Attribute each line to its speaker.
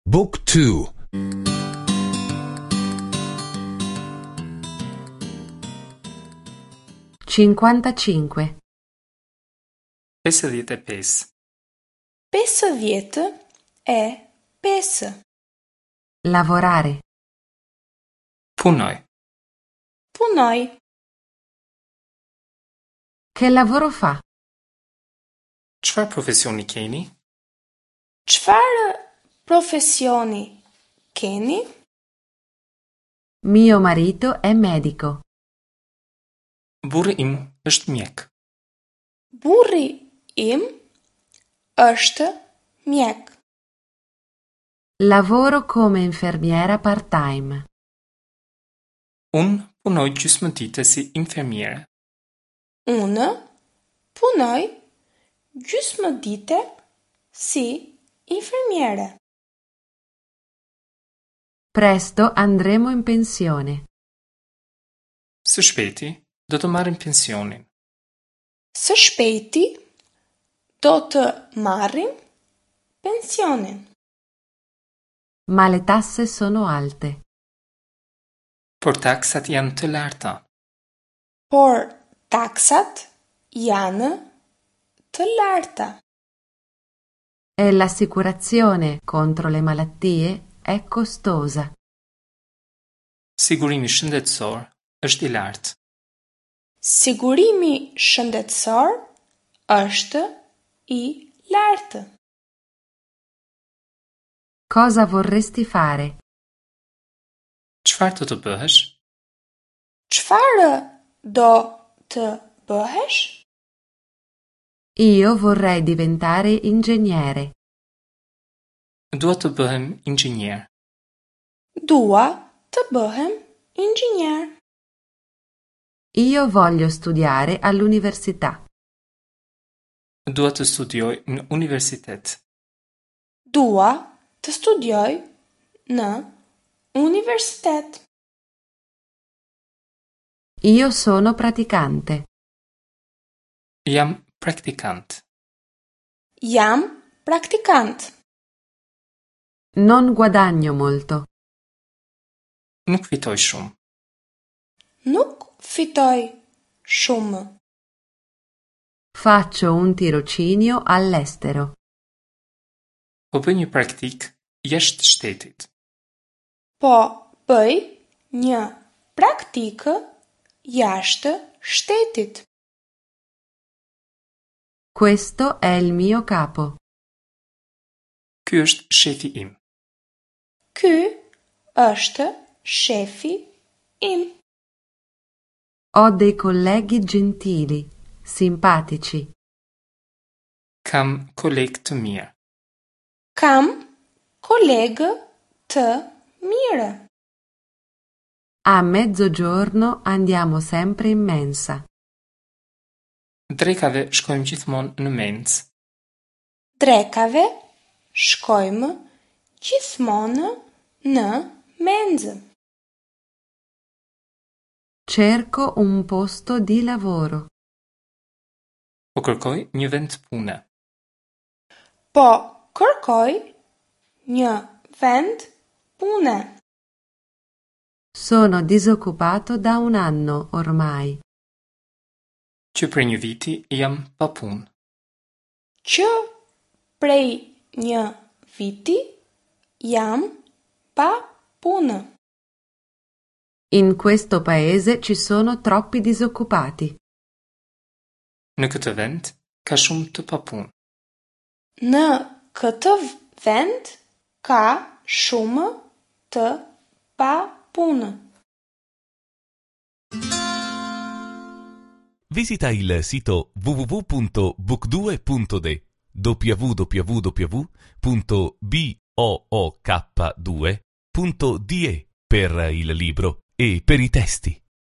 Speaker 1: Book 2
Speaker 2: 55.
Speaker 3: 55.
Speaker 4: 55.
Speaker 2: Lavorare.
Speaker 3: Punoj.
Speaker 4: Punoj.
Speaker 2: Che lavoro fa?
Speaker 3: Çfarë profesioni keni?
Speaker 4: Çfarë profesioni keni?
Speaker 2: Mio marito è medico.
Speaker 3: Burri im është mjek.
Speaker 4: Burri im është mjek.
Speaker 2: Lavoro come infermiera part-time.
Speaker 3: Unë punoj gjysmë dite si infermiere.
Speaker 4: Unë punoj gjysmë dite si infermiere.
Speaker 2: Presto andremo in pensione.
Speaker 3: Së shpejti do të marrim pensionin.
Speaker 4: Së shpejti do të marrim pensionin.
Speaker 2: Ma le tasse sono alte.
Speaker 3: Por taksat janë të larta.
Speaker 4: Por taksat janë të larta.
Speaker 2: E l'assicurazione contro le malattie è costosa.
Speaker 3: Sigurimi shëndetësor është i lartë.
Speaker 4: Sigurimi shëndetësor është i lartë.
Speaker 2: Cosa vorresti fare?
Speaker 3: Çfarë do të bëhesh?
Speaker 4: Çfarë do të bëhesh?
Speaker 2: Io vorrei diventare ingegnere.
Speaker 3: Dua të bëhem inxhinier.
Speaker 4: Dua të bëhem inxhinier.
Speaker 2: Io voglio studiare all'università.
Speaker 3: Dua të studioj në universitet.
Speaker 4: Dua të studioj në universitet.
Speaker 2: Io sono praticante.
Speaker 3: Jam praktikant.
Speaker 4: Jam praktikant.
Speaker 2: Non guadagno molto.
Speaker 3: Nuk fitoj shumë.
Speaker 4: Nuk fitoj shumë.
Speaker 2: Faccio un tirocinio all'estero.
Speaker 3: Po bëj një praktikë jashtë shtetit.
Speaker 4: Po bëj një praktikë jashtë shtetit.
Speaker 2: Questo è il mio capo.
Speaker 3: Ky është shefi im.
Speaker 4: Ky është shefi im.
Speaker 2: Ho dei colleghi gentili, simpatici.
Speaker 3: Kam kolegë të mirë.
Speaker 4: Kam kolegë të mirë.
Speaker 2: A mezzogiorno andiamo sempre in mensa.
Speaker 3: Drekave shkojmë gjithmonë në mensë.
Speaker 4: Drekave shkojmë gjithmonë në mensë.
Speaker 2: Cerco un posto di lavoro.
Speaker 3: Po kërkoj një vend pune.
Speaker 4: Po kërkoj një vend pune.
Speaker 2: Sono disoccupato da un anno ormai.
Speaker 3: Që prej një viti jam pa punë.
Speaker 4: Që prej një viti jam pa punë.
Speaker 2: In questo paese ci sono troppi disoccupati.
Speaker 3: Në këtë vend ka shumë të papunë.
Speaker 4: Në këtë vend ka shumë të papunë.
Speaker 1: Visita il sito www.book2.de www.book2.de per il libro e per i testi.